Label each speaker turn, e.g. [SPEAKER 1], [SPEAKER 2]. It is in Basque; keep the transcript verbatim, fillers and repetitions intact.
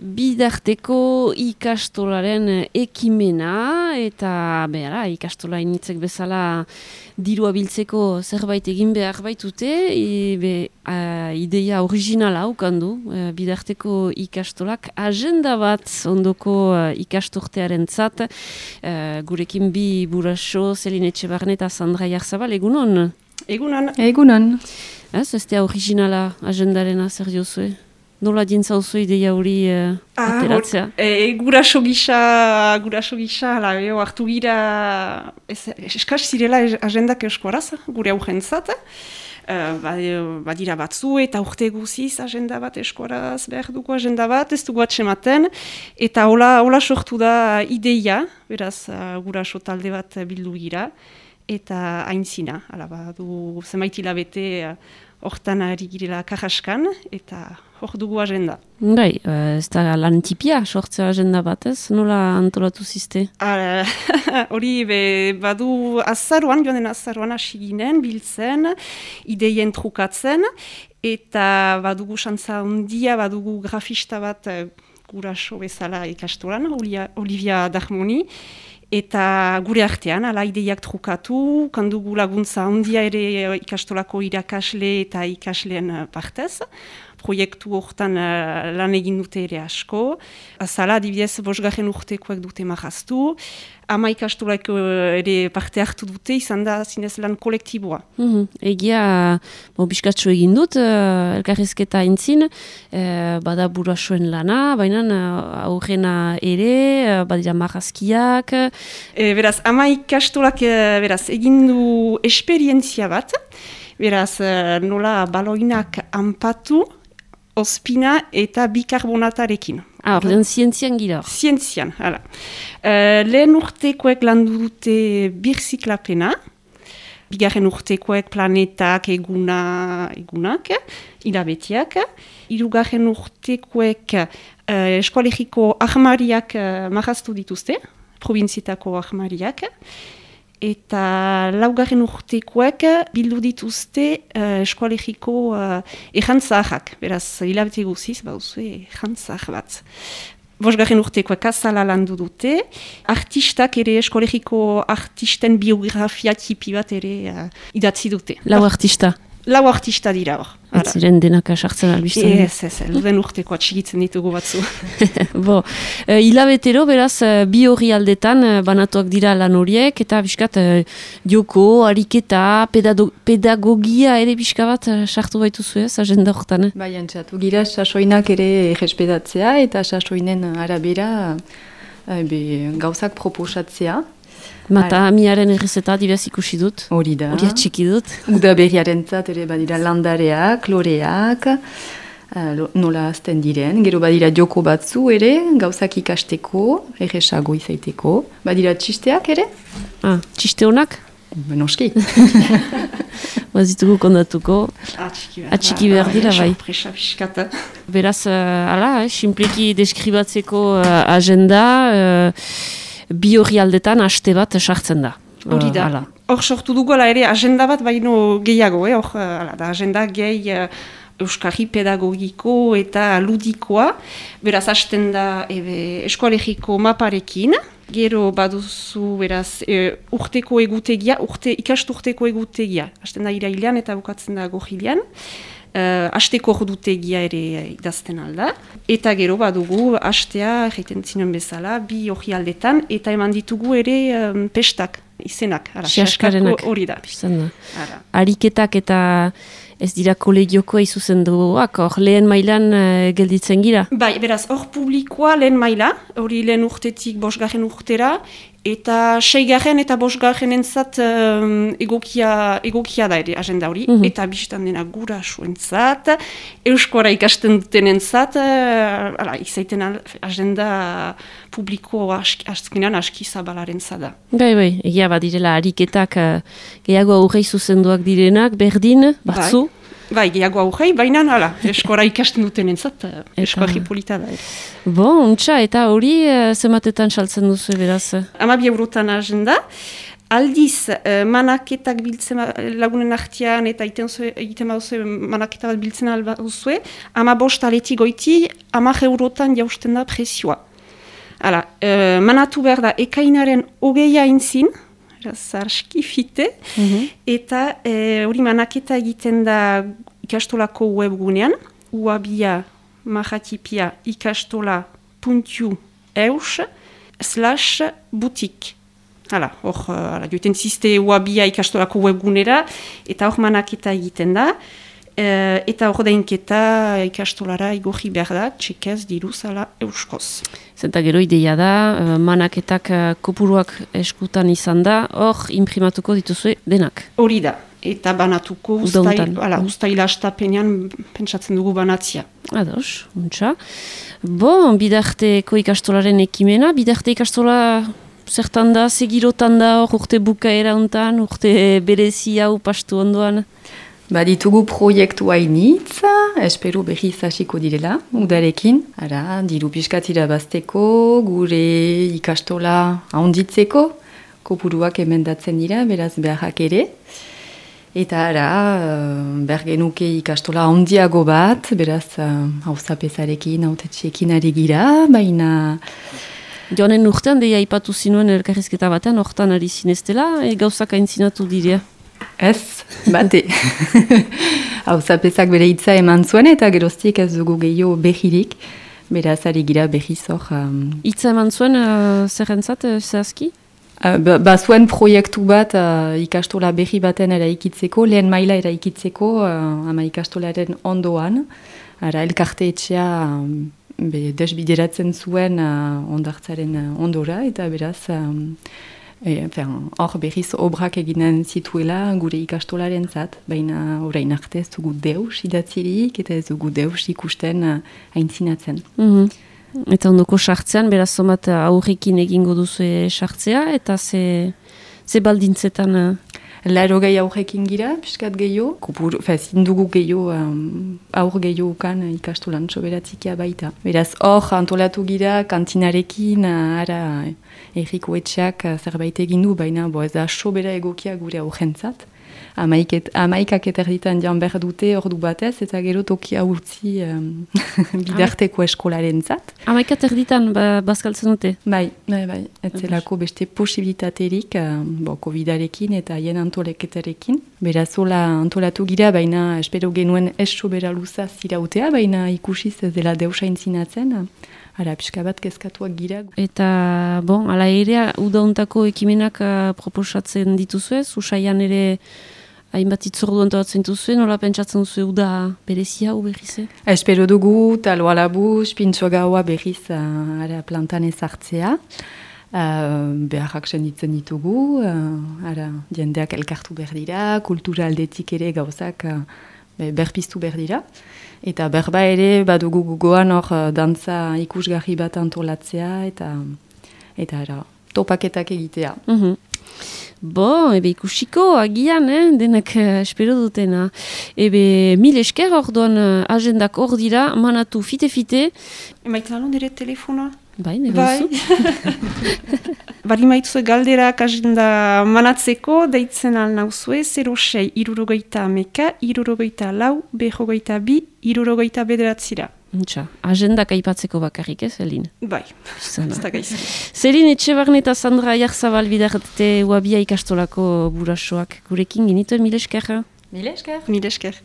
[SPEAKER 1] bidarteko ikastolaren ekimena, eta behara, ikastola initzek bezala dirua biltzeko zerbait egin behar baitute, e, be, a, ideia originala ukandu, e, bidarteko ikastolak agenda bat ondoko uh, ikasturtearen zat, uh, gurekin bi buraso, Zeline Etxebarne eta Sandra Jarzabal, egunon?
[SPEAKER 2] Egunon.
[SPEAKER 1] Egunon. Ez, ez da originala agendarena zer diozue? Nola dintzauzu ideia hori uh,
[SPEAKER 2] ah,
[SPEAKER 1] ateratzea?
[SPEAKER 2] E, guraso gisa, guraso gisa, la, eo, hartu gira, eskaz zirela agendak euskoraz, gure augentzat. Uh, badira batzu eta urte guziz agenda bat eskoraz behar dugu agenda bat, ez dugu atsematen, eta hola, hola sortu da ideia, beraz uh, guraso talde bat bildu gira, eta aintzina, hala badu zenbait hilabete hortan uh, ari girela kajaskan, eta hor dugu agenda.
[SPEAKER 1] Bai, uh, ez da lan tipia sortzea agenda bat, ez? Nola antolatu ziste?
[SPEAKER 2] Hori badu azaruan, joan den azaruan hasi ginen, biltzen, ideien trukatzen, eta badugu xantza handia, badugu grafista bat guraso bezala ikastolan, Olivia Darmoni, eta gure artean, ala ideiak trukatu, kandugu laguntza handia ere ikastolako irakasle eta ikasleen partez, proiektu hortan uh, lan egin dute ere asko. Azala, adibidez, bosgarren urtekoek dute marraztu. Ama ikastolak uh, ere parte hartu dute, izan da zinez lan kolektiboa.
[SPEAKER 1] Mm-hmm. Egia, bo, biskatxo egin dut, uh, elkarrizketa entzin, uh, bada burasoen lana, baina uh, aurrena ere, uh, badira marrazkiak.
[SPEAKER 2] E, beraz, ama ikastolak uh, beraz, egin du esperientzia bat, beraz, uh, nola baloinak anpatu, ospina eta bikarbonatarekin.
[SPEAKER 1] Ah, ordean zientzian gira.
[SPEAKER 2] Zientzian, hala. Uh, lehen urtekoek landu dute birziklapena, bigarren urtekoek planetak, eguna, egunak, hilabetiak, hirugarren urtekoek uh, eskoalegiko ahmariak uh, marraztu dituzte, provinzietako ahmariak, eta laugarren urtekoek bildu dituzte uh, eskoalegiko uh, errantzahak. Beraz, hilabete guziz, bauzue errantzah bat. Bosgarren urtekoek azala landu dute, artistak ere eskoalegiko artisten biografia tipi bat ere uh, idatzi dute.
[SPEAKER 1] Lau artista?
[SPEAKER 2] Lau artista dira hor.
[SPEAKER 1] Ez ziren denak asartzen albizten.
[SPEAKER 2] Ez, ez, luden urteko atxigitzen ditugu batzu.
[SPEAKER 1] Bo, uh, hilabetero, beraz, uh, bi hori aldetan uh, banatuak dira lan horiek, eta biskat, uh, dioko, ariketa, pedado, pedagogia ere biska bat uh, sartu baituzu ez, agenda horretan.
[SPEAKER 3] Bai, antzatu gira, sasoinak ere errespedatzea, eta sasoinen arabera uh, be, gauzak proposatzea.
[SPEAKER 1] Mata amiaren errezeta dibaz ikusi dut.
[SPEAKER 3] Hori da.
[SPEAKER 1] Hori atxiki dut.
[SPEAKER 3] Uda berriaren zat ere badira landareak, loreak, uh, nola azten diren. Gero badira joko batzu ere, gauzak ikasteko, erresago izaiteko. Badira txisteak ere?
[SPEAKER 1] Ah, txiste honak?
[SPEAKER 3] Benoski.
[SPEAKER 1] Bazitugu kondatuko. Atxiki behar dira, bai. Beraz, uh, ala, eh, simpleki deskribatzeko uh, agenda... Uh, bi hori aldetan haste bat sartzen da.
[SPEAKER 2] Hori da. Hor sortu dugu ere agenda bat baino gehiago, eh? Hor da agenda gehi uh, euskarri pedagogiko eta ludikoa. Beraz, hasten da ebe, eskoalegiko maparekin. Gero baduzu, beraz, e, urteko egutegia, urte, ikasturteko egutegia. Hasten da irailean eta bukatzen da gohilean. Uh, asteko ordutegia ere idazten alda. Eta gero badugu astea, egiten zinen bezala, bi hori aldetan, eta eman ditugu ere um, pestak, izenak.
[SPEAKER 1] Siaskarenak.
[SPEAKER 2] Hori da.
[SPEAKER 1] da. Ariketak eta ez dira kolegioko izuzen duak, hor lehen mailan uh, gelditzen gira?
[SPEAKER 2] Bai, beraz, hor publikoa lehen maila, hori lehen urtetik bosgarren urtera, eta seigarren eta bosgarren entzat um, egokia, egokia da ere agenda hori, mm-hmm. Eta bistan dena gurasoentzat, euskara ikasten duten entzat, uh, izaiten agenda publiko azkenean aski zabalaren zada.
[SPEAKER 1] Bai, bai, egia badirela ariketak uh, gehiago aurrei zuzenduak direnak, berdin, batzu?
[SPEAKER 2] Bai. Bai, gehiago aurrei, baina hala, eskora ikasten duten entzat, eskoari polita da.
[SPEAKER 1] Bo, untxa, eta hori uh, zematetan saltzen duzu beraz?
[SPEAKER 2] Amabi eurotan agenda, Aldiz, uh, manaketak biltzen lagunen artean eta egiten baduzue manaketa bat biltzen albaduzue, ama bost aletik goiti, amak eurotan jausten da presioa. Hala, uh, manatu behar da ekainaren hogeia intzin, zarski fite, mm-hmm. eta hori uh, manaketa egiten da ikastolako webgunean, uabia mahatipia ikastola puntu eus slash butik. Hala, hor, uh, joiten ziste uabia ikastolako webgunera, eta hor manaketa egiten da, uh, eta hor dainketa ikastolara igorri behar da, txekez diruz ala euskoz.
[SPEAKER 1] Zenta gero ideia da, uh, manaketak uh, kopuruak eskutan izan da, hor imprimatuko dituzue denak.
[SPEAKER 2] Hori da, eta banatuko ustaila astapenean pentsatzen dugu banatzia.
[SPEAKER 1] Ados, untxa. Bon, bidarteko ikastolaren ekimena, bidarte ikastola... Zertan da, segirotan da, urte bukaera hontan, urte berezi hau pastu ondoan?
[SPEAKER 3] Ba, ditugu proiektu hainitz, espero berriz hasiko direla, udarekin. Ara, diru piskatira bazteko, gure ikastola handitzeko, kopuruak emendatzen dira, beraz beharrak ere. Eta ara, behar genuke ikastola handiago bat, beraz hauzapezarekin, hautetxeekin ari gira, baina...
[SPEAKER 1] Joanen urtean, deia ipatu zinuen elkarrizketa batean, hortan ari zineztela, e, gauzak aintzinatu direa?
[SPEAKER 3] Ez, bate. Hauzapezak bere hitza eman zuen eta geroztiek ez dugu gehiago behirik, beraz ari gira behiz hor. Um...
[SPEAKER 1] Hitza eman zuen uh, zerrentzat, uh, zehazki?
[SPEAKER 3] Uh, ba, ba zuen proiektu bat uh, ikastola behi baten eraikitzeko, lehen maila eraikitzeko uh, ama ikastolaren ondoan, ara elkarte etxea... Um, Be, desbideratzen zuen uh, ondartzaren uh, ondora, eta beraz, um, e, hor berriz obrak eginen zituela gure ikastolaren zat, baina orain arte ez dugu deus idatzirik, eta ez dugu deus ikusten uh, aintzinatzen.
[SPEAKER 1] Mm-hmm. Eta ondoko sartzean, beraz somat aurrekin egingo duzu sartzea, eta ze, ze baldintzetan... Uh...
[SPEAKER 3] Laro gehi aurrekin gira, piskat gehiago. Zin dugu gehiago, um, aur gehiago ukan ikastolan soberatzikia baita. Beraz, hor antolatu gira kantinarekin, ara erriko etxeak zerbait egin du, baina bo, ez da sobera egokia gure aurrentzat. Amaikak eterditan jan behar dute ordu batez, eta gero tokia utzi um, bidarteko eskolaren zat.
[SPEAKER 1] Amaika terditan ba, bazkaltzen dute?
[SPEAKER 3] Bai, bai, bai. Etzelako beste posibilitaterik, um, bo, covidarekin eta hien antoleketarekin. Berazola antolatu gira, baina espero genuen ez sobera luza zirautea, baina ikusiz ez dela deusa intzinatzen. Ara, pixka bat kezkatuak gira.
[SPEAKER 1] Eta, bon, ala ere, udauntako ekimenak uh, proposatzen dituzue, usaian ere hainbat itzordu antoratzen dituzue, nola pentsatzen duzu uda berezia hau berrize?
[SPEAKER 2] Espero dugu, talo alabuz, pintxo gaua berriz uh, ara plantan ezartzea. Uh, beharrak senditzen ditugu, uh, ara, jendeak elkartu behar dira, kultura aldetik ere gauzak uh, berpiztu behar dira. Eta berba ere, badugu gugoan hor dantza ikusgarri bat antolatzea, eta, eta ara, topaketak egitea.
[SPEAKER 1] Mm-hmm. Bo, ebe ikusiko, agian, eh? Denak uh, espero dutena. Ebe mil esker hor duan uh, agendak hor dira, manatu fite-fite.
[SPEAKER 3] Emaiten alon dire telefonoa?
[SPEAKER 1] Bai, negozu.
[SPEAKER 3] Bari maituzue galderak agenda manatzeko, deitzen alnauzue, zero sei irurogeita ameka, irurogeita lau, behogeita bi, irurogeita bederatzira.
[SPEAKER 1] Untxa, agendak aipatzeko bakarrik, ez, Elin?
[SPEAKER 3] Bai, ez da gaizki.
[SPEAKER 1] Zelin Etxebarne eta Sandra Aiarzabal bidarte uabia ikastolako burasoak gurekin genituen, mil esker?
[SPEAKER 3] Mil esker.
[SPEAKER 2] Mil esker.